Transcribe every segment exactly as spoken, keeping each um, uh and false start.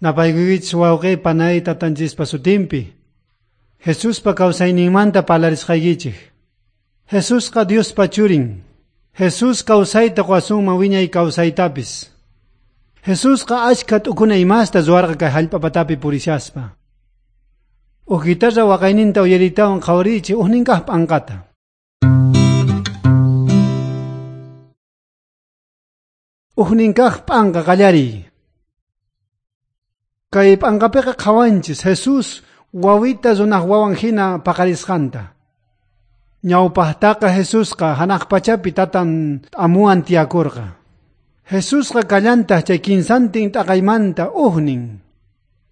Napaykuykichis wawqi panay tatanchispa sutinpi. Jesuspa kawsayninmanta parlarisqaykichik. Jesusqa Diospa churin. Jesús kawsayta quwasunman wiñay kawsaytapis. Jesusqa achka t'ukuna imasta ruwarqa kay hallp'a patapi purishaspa. Uj guitarra waqayninta uyaritawan qhawariychik ujninkaq p'anqata. Ujninkaq p'anqa qallariy. Kay p'anqapiqa qhawanchis Jesús wawita runaq wawan hina paqarisqanta. Ñawpaqtaqa Jesusqa hanaq pachapi tatan amuwan tiyakurqa. Jesusqa kallantaq chay kinsantin t'aqaymanta ujnin.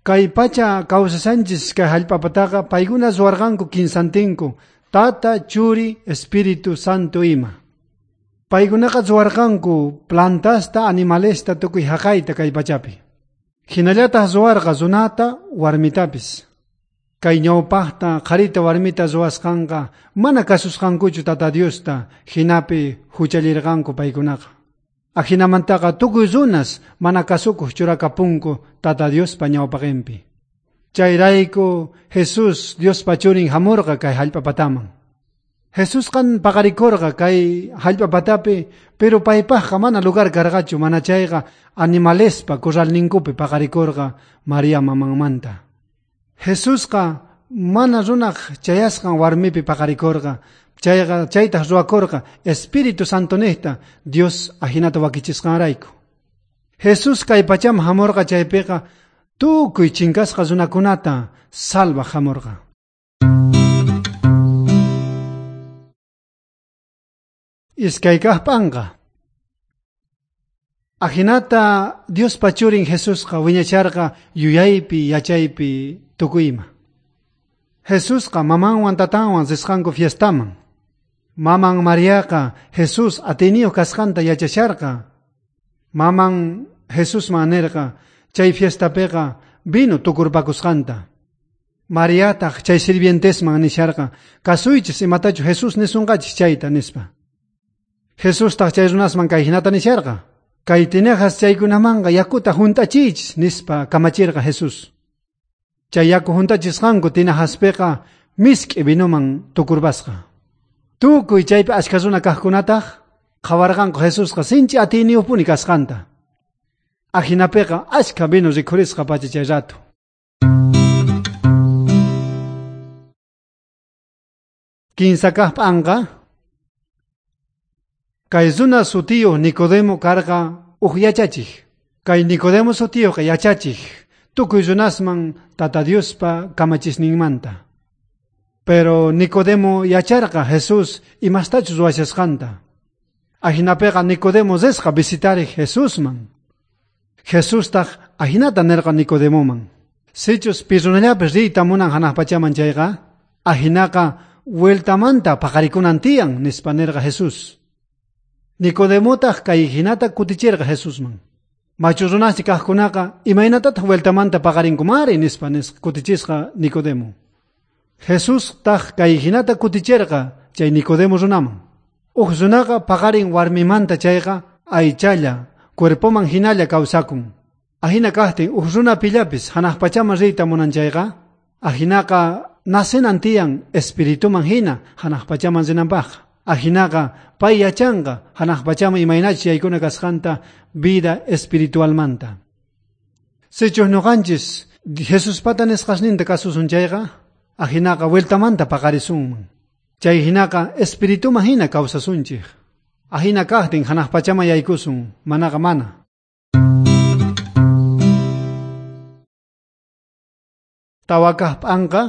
Kay pacha kawsasanchis kay hallp'apataqa paykuna ruwarqanku kinsantinku Tata, Churi, Espíritu Santo ima. Paykunaqa ruwarqanku plantasta, animalesta tukuy haqayta kay pachapi. Hinallataq ruwarqa runata, warmitapis. Kay ñawpaqta qharita warmita ruwasqanqa mana kasusqankuchu Tata Diosta hinapi huchallirqanku paykunaqa. Ajinamantaqa tukuy runas mana kasukuq churakapunku Tata Diospa ñawpaqinpi. Chayrayku Jesús Diospa churin hamurqa kay hallp'a pataman. Jesusqan paqarikurqa kay hallp'a patapi, pero paypaqqa mana lugar karqachu mana chayqa animalespa corralninkupi paqarikurqa María mamanmanta. Jesusqa mana runaq chayasqan warmipi paqarikurqa, chayqa chaytaq ruwakurqa Espíritu Santonejta Dios ajinata wakichisqanrayku. Jesús kay pachaman hamurqa chaypiqa tukuy chinkasqa runakunata salvaj hamurqa. Iskay kaq p'anqa. Ajinata Diospa churin Jesusqa wiñacharqa yuyaypi yachaypi tukuy ima. Jesusqa mamanwan tatanwan risqanku fiestaman. Maman Mariaqa Jesús atiyniyuq kasqanta yachasharqa. Maman Jesusman nirqa chay fiestapiqa vino tukurpakusqanta. Mariataq chay sirvientesman nisharqa kasuychis imatachu Jesús nisunqachis chayta nispa. Jesustaq chay runasman kay hinata nisharqa. Kay tinajas chaykunamanqa yakuta junt'achiychis nispa kamachirqa Jesús. Chay yaku junt'achisqanku tinajaspiqa misk'i vinoman tukurbasqa. Tukuy chaypi achka runa kaqkunataq qhawarqanku Jesusqa sinchi atiyniyuqpuni kasqanta. Ajinapiqa achka vino rikhurisqa pacha chay rato. Kinsa kaq p'anqa. Kay runa sutiyuq Nicodemo karqa uj yachachij. Kay Nicodemo sutiyuqqa yachachij tukuy runasman Tata Diospa kamachisninmanta. Pero Nicodemo yacharqa Jesús imastachus ruwashasqanta. Ajinapiqa Nicodemo risqa visitariq Jesusman. Jesustaq ajinata nirqa Nicodemoman. Sichus pi runallapis riyta munan hanaq pachaman chayqa, ajinaqa vueltamanta paqarikunan tiyan nispa nirqa Jesús. Nicodemotaq kay hinata kutichirqa Jesusman. Machu runaschi kaqkunaqa imaynatataq vueltamanta paqarinkumari nispa nisqa kutichisqa Nicodemo. Jesustaq kay hinata kutichirqa chay Nicodemo runaman. Uj runaqa paqarin warmimanta chayqa aychalla cuerpoman hinalla kawsakun. Ajina kaqtin uj runa pillapis hanaq pachaman riyta munan chayqa, ajinaqa nacenan tiyan espirituman hina hanaq pachaman rinanpaqqa. Ajinaqa pay yachanqa hanaq pachaman imaynachus yaykuna kasqanta vida espiritualmanta. Sichus ñuqanchis Jesuspata nisqasninta kasusun chayqa, ajinaqa vueltamanta paqarisunman. Chay hinaqa espirituman hina kawsasunchik. Ajina kaqtin hanaq pachaman yaykusun, manaqa mana. Tawa kaq p'anqa.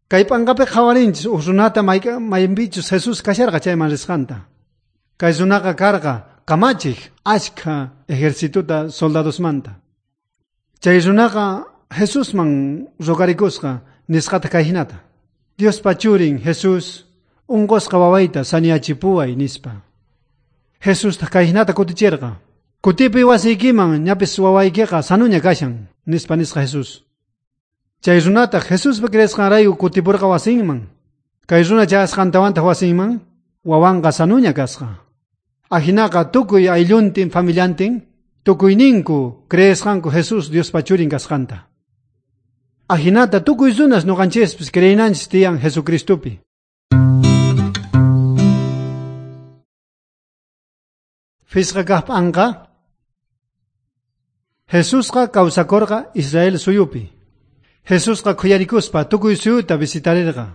Kay p'anqapi qhawarinchis uj runata maypichus Jesús kasharqa chayman risqanta. Kay runaqa karqa kamachiq achka ejercituta soldadosmanta. Chay runaqa Jesusman rogarikusqa nisqata kay hinata. Diospa churin Jesús unqusqa wawayta saniyachipuway nispa. Jesustaq kay hinata kutichirqa. Kutipuy wasiykiman ñapis wawaykiqa sanuña kashan nispa nisqa Jesús. Chay runataq Jesuspa creesqanrayku kutipurqa wasinman. Kay runa chayasqantawantaq wasinman wawanqa sanuña kasqa. Ajinaqa tukuy aylluntin familiantin Tukuyninku creesqanku Jesús Diospa churin kasqanta. Ajinata tukuy runas noqanchispis creenanchis tiyan Jesucristopi. Fisqa kajp'anqa Jesusqa kawsakorqa Israel suyupi. Jesusqa khuyarikuspa tukuy suyuta visitarerqa.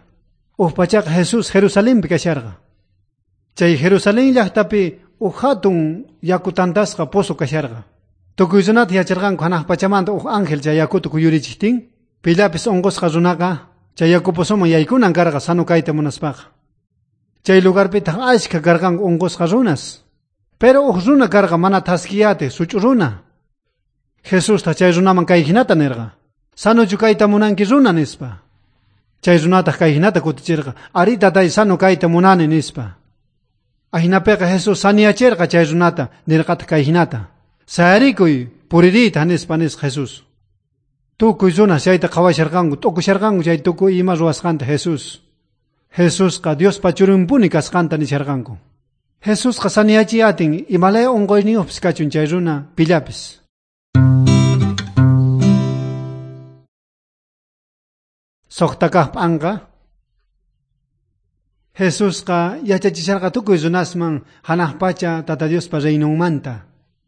Uj pachaqa Jesús Jerusalenpi kasharqa. Chay Jerusalén llaqtapi uj hatun yaku tantasqa pozo kasharqa. Tukuy runata yacharqanku hanaq pachamanta uj ángel chay yakuta kuyurichijtin, pillapis unqusqa runaqa chay yaku pozoman yaykunan karqa sano kayta munaspaqa. Chay lugarpitaq ashkha karqanku unqusqa runas. Pero uj runa karqa mana thaskiyate such'u runa. Jesusta chay runaman kay hinata nerqa. Sanochu kayta munanki runa nispa. Chay runataq kay hinata kutichirqa. Ari tatay sano kayta munani nispa. Ajinapiqa Jesús saniyacherqa chay runata nerqataq kay hinata. Sayarikuy puririyta nispa nisqa Jesús. Tukuy runas chayta qhawasharqanku t'ukusharqanku chay tukuy ima ruwasqanta Jesús. Jesusqa Diospa churinpuni kasqanta nisharqanku. Jesusqa saniyachiy atin imalaya unquyniyuqpis kachun chay runa pillapis. Suqta kajp'anqa Jesusqa yachachisharqa tukuy runasman hanaq pacha Tata Diospa reinonmanta.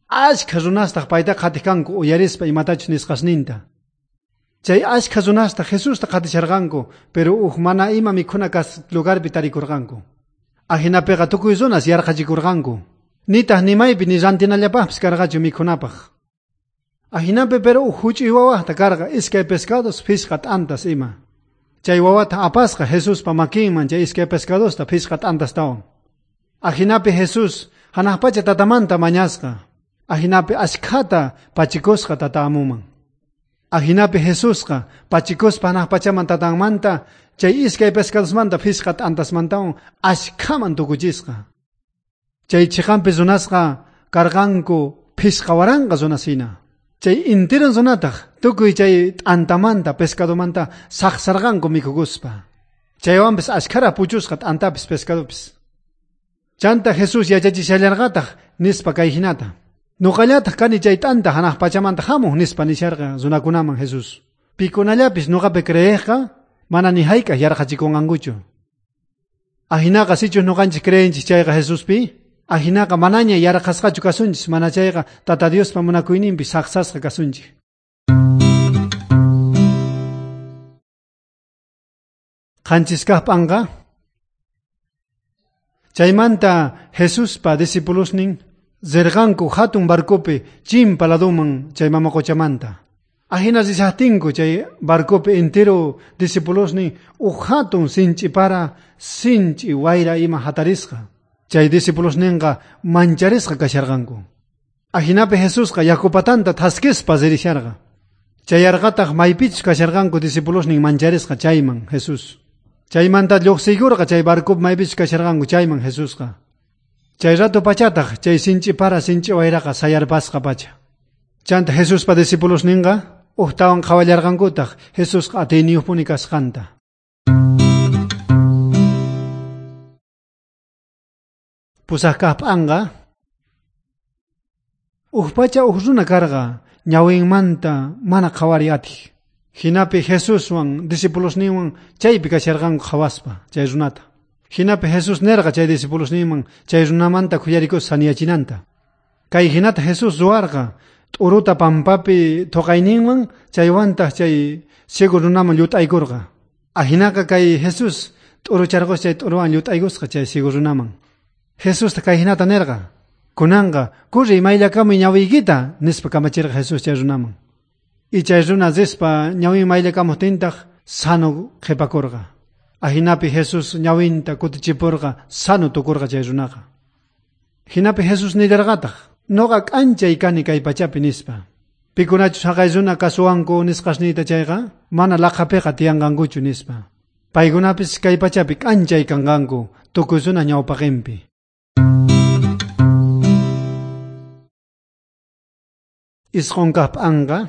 Ashkha runastaq payta qhatij kanku uyarispa imatachus nisqasninta. Chay ashkha runastaq Jesusta qhatisharqanku, pero uj mana ima mikhuna kas lugarpi tarikurqanku. Ajinapiqa tukuy runas yarqhachikurqanku. Nitaq ni maypi ni rantinallapaqpis karqachu mikhunapaq. Ajinapi pero uj huch'uy wawajta karqa iskay pescados phishqa t'antas ima. Chay wawata apasqa Jesuspa makinman chay iskay pescadosta phishqa t'antastawan. Ajinapi Jesús hanaq pacha tatamanta mañasqa. Ajinapi ashkhata pachikusqa tata amuman. Ajinapi Jesusqa pachikuspa hanaq pachaman tatanmanta chay iskay pescadosmanta phishqa t'antasmantawan ashkhaman tukuchisqa. Chay chiqanpi runasqa karqanku phishqa waranqa runasina. Chay intiran runataq tukuy chay t'antamanta pescadomanta saqsarqanku mikhukuspa. Chaywanpis ashkhara puchusqa t'antapis pescadopis. Chanta Jesús yachachishallarqataq nispa kay hinata. Nuqallataq kani chay t'anta hanaq pachamanta hamuq nispa nisharqa runakunaman Jesús. Pikunallapis nuqapi creejqa mana ni hayk'aq yarqhachikunqankuchu. Ajinaqa sichus nuqanchis creenchis chayqa Jesuspi, ajinaqa manaña yarqhasqachu kasunchis, mana chayqa Tata Diospa munakuyninpi saqsasqa kasunchis. Qanchis kajp'anqa chaymanta Jesuspa discipulosnin rirqanku hatun barcopi chimpa laduman chay mama qochamanta. Ajina rishajtinku chay barcopi entero discipulosnin uj hatun sinch'i para sinch'i wayra ima hatarisqa. Chay discipulosninqa mancharisqa kasharqanku. Ajinapi Jesusqa yaku patanta thaskispa ririsharqa. Chayarqataq maypichus kasharqanku discipulosnin mancharisqa chayman Jesús. Chaymanta lluqsiykurqa chay barcopi maypichus kasharqanku chayman Jesusqa. Chay rato pachataq chay sinch'i para sinch'i wayraqa sayarpasqa pacha. Chanta Jesuspa discipulosninqa ujtawan qhawallarqankutaq Jesusqa atiyniyuqpuni kasqanta. Pusaq kajp'anqa uj pacha uj runa karqa ñawinmanta mana qhawariy atij. Jinapi Jesuswan discipulosninwan chaypi kasharqanku qhawaspa chay runata. Jinapi Jesús nerqa chay discipulosninman chay runamanta khuyarikuspa saniyachinanta. Kay hinata Jesús ruwarqa t'uruta pampapi thuqayninwan chaywantaq chay ciego runaman llut'aykurqa. Ajinaqa kay Jesús t'urucharqus chay t'uruwan llut'aykusqa chay ciego runaman. Jesusta kay hinata nerqa. Kunanqa kurriy mayllakamuy ñawiykita nispa kamachirqa Jesús chay runaman. Y chay runa rispa ñawin mayllakamuqtintaq sano qhipakurqa. Ajinapi Jesús ñawinta kutichipurqa sano tukurqa chay runaqa. Jinapi Jesús nillarqataq noqa k'anchay kani kay pachapi nispa. Pikunachus haqay runa kasuwanku nisqasniyta chayqa mana laqhapiqa tiyanqankuchu nispa. Paykunapis kay pachapi k'anchay kanqanku tukuy runa ñawpaqinpi. Isqun kajp'anqa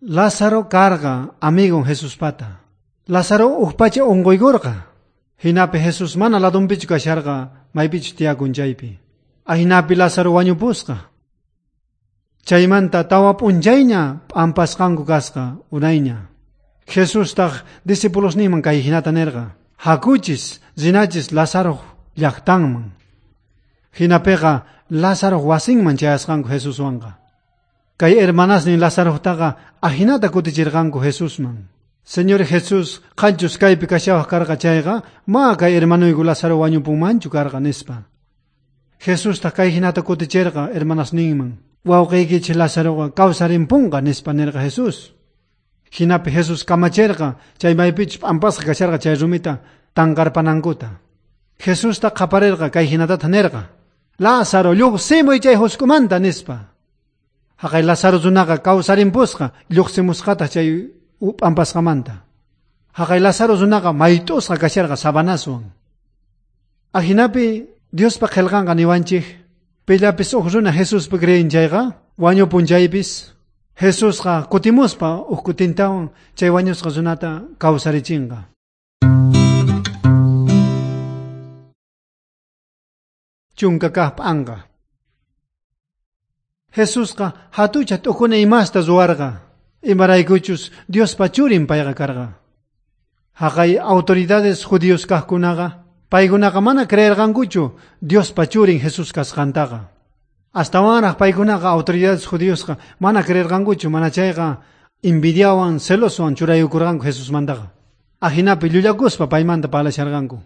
Lázaro karqa amigon Jesuspata. Lázaro uj pacha unquykurqa. Jinapi Jesús mana ladunpichu kasharqa maypichus tiyakun chaypi. Ajinapi Lázaro wañupusqa. Chaymanta tawa p'unchayña p'ampasqanku kasqa unayña. Jesustaq discipulosninman kay jinata nerqa: Hakuchis rinachis Lázaro llaqtanman. Jinapiqa Lázaro wasinman chayasqanku Jesuswanqa. Kay hermanasnin Lazarotaqa ajinata kutichirqanku Jesusman. Señor Jesús, qanchus kaypi kashawaq karqa chayqa, ma kay hermanuyku Lázaro wañupunmanchu karqa nispa. Jesustaq kay jinata kutichirqa hermanasninman. Wawqiykichik Lazaroqa kawsarimpunqa nispa nerqa Jesús. Jinapi Jesús kamachirqa chay maypichus p'ampasqa kasharqa chay rumita tanqarpanankuta. Jesusta qaparerqa kay jinatata nerqa: Lázaro, lluqsimuy chay huskumanta nispa. Haqay Lázaro runaqa kawsarimpusqa lluqsimusqataq chay p'ampasqamanta. Haqay Lázaro runaqa mayt'usqa kasharqa sabanaswan. Ajinapi Diospa qillqanqa niwanchik pillapis uj runa Jesuspi creen chayqa wañupun chaypis Jesusqa kutimuspa uj kutintawan chay wañusqa runata kawsarichinqa. Chunka kaq p'anqa. Jesusqa hatucha t'ukuna imasta ruwarqa, imaraykuchus Diospa churin payqa karqa. Haqay autoridades judíos kaqkunaqa paykunaqa mana creerqankuchu Diospa churin Jesús kasqantaqa. Astawanraq paykunaqa autoridades judíosqa mana creerqankuchu, mana chayqa envidiawan celoswan churayukurqanku Jesusmantaqa. Ajinapi llullakuspa paymanta parlasharqanku.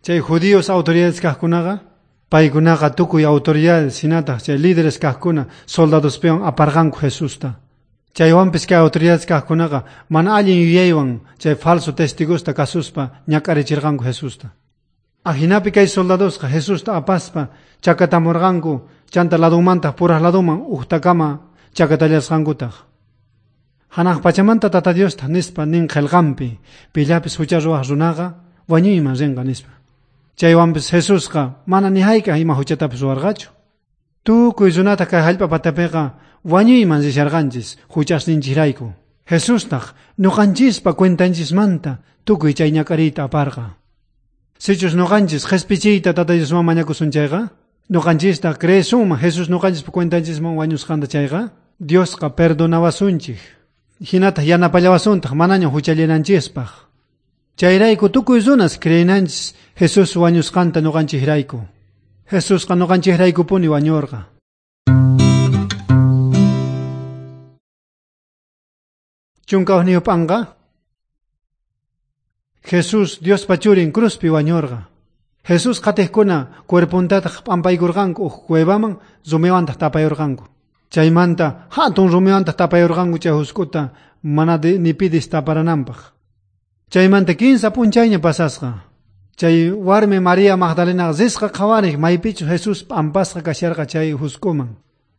Chay judíos autoridades kaqkunaqa paykunaqa tukuy autoridades hinataq chay líderes kaqkuna soldadospiwan aparqanku Jesusta. Chaywanpis kay autoridades kaqkunaqa mana allin yuyaywan chay falso testigosta kasuspa ñak'arichirqanku Jesusta. Ajinapi kay soldadosqa Jesusta apaspa chakatamurqanku, chanta ladunmantaq puraq laduman uqtakama chakatallasqankutaq. Hanaq pachamanta Tata Diosta nispa nin qillqanpi pillapis hucha ruwaq runaqa wañuyman rinqa nispa. Chaywanpis Jesusqa mana ni hayk'aq ima huchatapis ruwarqachu. Tukuy runata kay hallp'a patapiqa wañuyman risharqanchis huchasninchikrayku. Jesustaq ñuqanchispa cuentanchismanta tukuy chay ñak'ariyta aparqa. Sichus ñuqanchis qhispichiyta Tata Diosman mañakusun chayqa, ñuqanchistaq creesunman Jesús ñuqanchispa cuentanchisman wañusqanta chayqa, Diosqa perdonawasunchik. Hinataq yanapallawasuntaq manaña huchallinanchispaq. Chayrayku tukuy runas creenanchis Jesús wañusqanta ñuqanchikrayku. Jesusqa ñuqanchikraykupuni wañurqa. Chunka hukniyuq p'anqa. Jesús Diospa churin cruzpi wañurqa. Jesús qatiqkuna cuerpuntataq p'ampaykurqanku uj cuevaman rumiwantaq tapayurqanku. Chaymanta hatun rumiwantaq tapayurqanku chay husk'uta mana ni pidis taparananpaq. Chaymanta kinsa p'unchayña pasasqa. Chay warmi María Magdalena risqa qhawariq maypichu Jesús p'ampasqa kasharqa chay husk'uman.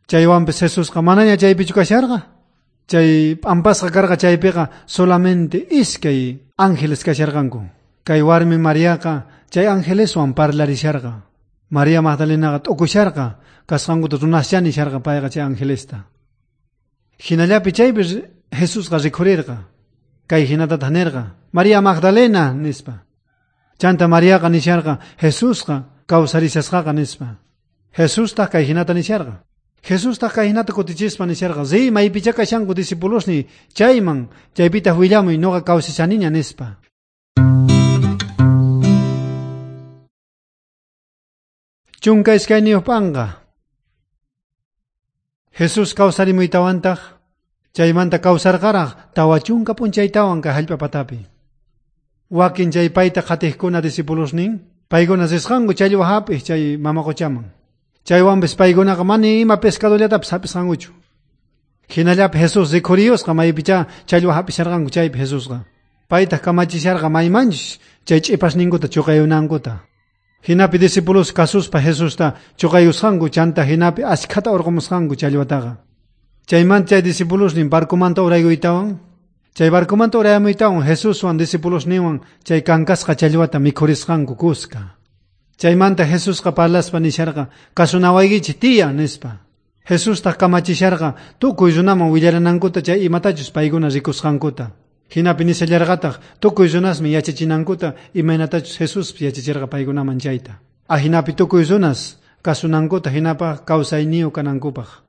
Chaywanpis Jesusqa manaña chaypichu kasharqa. Chay p'ampasqa karqa chaypiqa solamente iskay ángeles kasharqanku. Kay warmi Mariaqa chay angeleswan parlarisharqa. María Magdalenaqa t'ukusharqa kasqankuta runascha nisharqa payqa chay angelesta. Hinallapi chaypi Jesusqa rikhurirqa. Kay hinatataq nirqa: María Magdalena nispa. Chanta Mariaqa nisharqa Jesusqa kawsarishasqaqa nispa. Jesustaq kay hinata nisharqa. Jesustaq kay hinata kutichispa nisharqa: Riy maypicha kashanku discipulosni chayman, chaypitaq willamuy ñuqa kawsashaniña nispa. Chunka iskayniyuq p'anqa. Jesús kawsarimuytawantaq chaymanta kawsarqaraq tawa chunka p'unchaytawan kay hallp'a patapi. Wakin chay payta qatiqkuna discipulosnin paykuna risqanku challwa hap'iq chay mama quchaman. Chaywanpis paykunaqa mana ima pescadollatapis hap'isqankuchu. Hinallapi Jesús rikhuriyusqa maypicha challwa hap'isharqanku chaypi Jesusqa. Paytaq kamachisharqa maymanchus chay ch'ipasninkuta chuqayunankuta. Hinapi discípulos kasuspa Jesusta chuqayusqanku chanta hinapi ashkhata urqumusqanku challwataqa. Chaymanta chay discipulosnin barcomanta uraykuytawan, chay barcomanta urayamuytawan Jesuswan discipulosninwan chay kankasqa challwata mikhurisqanku kuska. Chaymanta Jesusqa parlaspa nisharqa kasunawaykichik tiyan nispa. Jesustaq kamachisharqa tukuy runaman willaranankuta chay imatachus paykuna rikusqankuta. Hinapi nishallarqataq tukuy runasman yachachinankuta imaynatachus Jesuspis yachachirqa paykunaman chayta. Ajinapi tukuy runas Kasunankuta, jinapaj kawsayniyoj kanankupaj.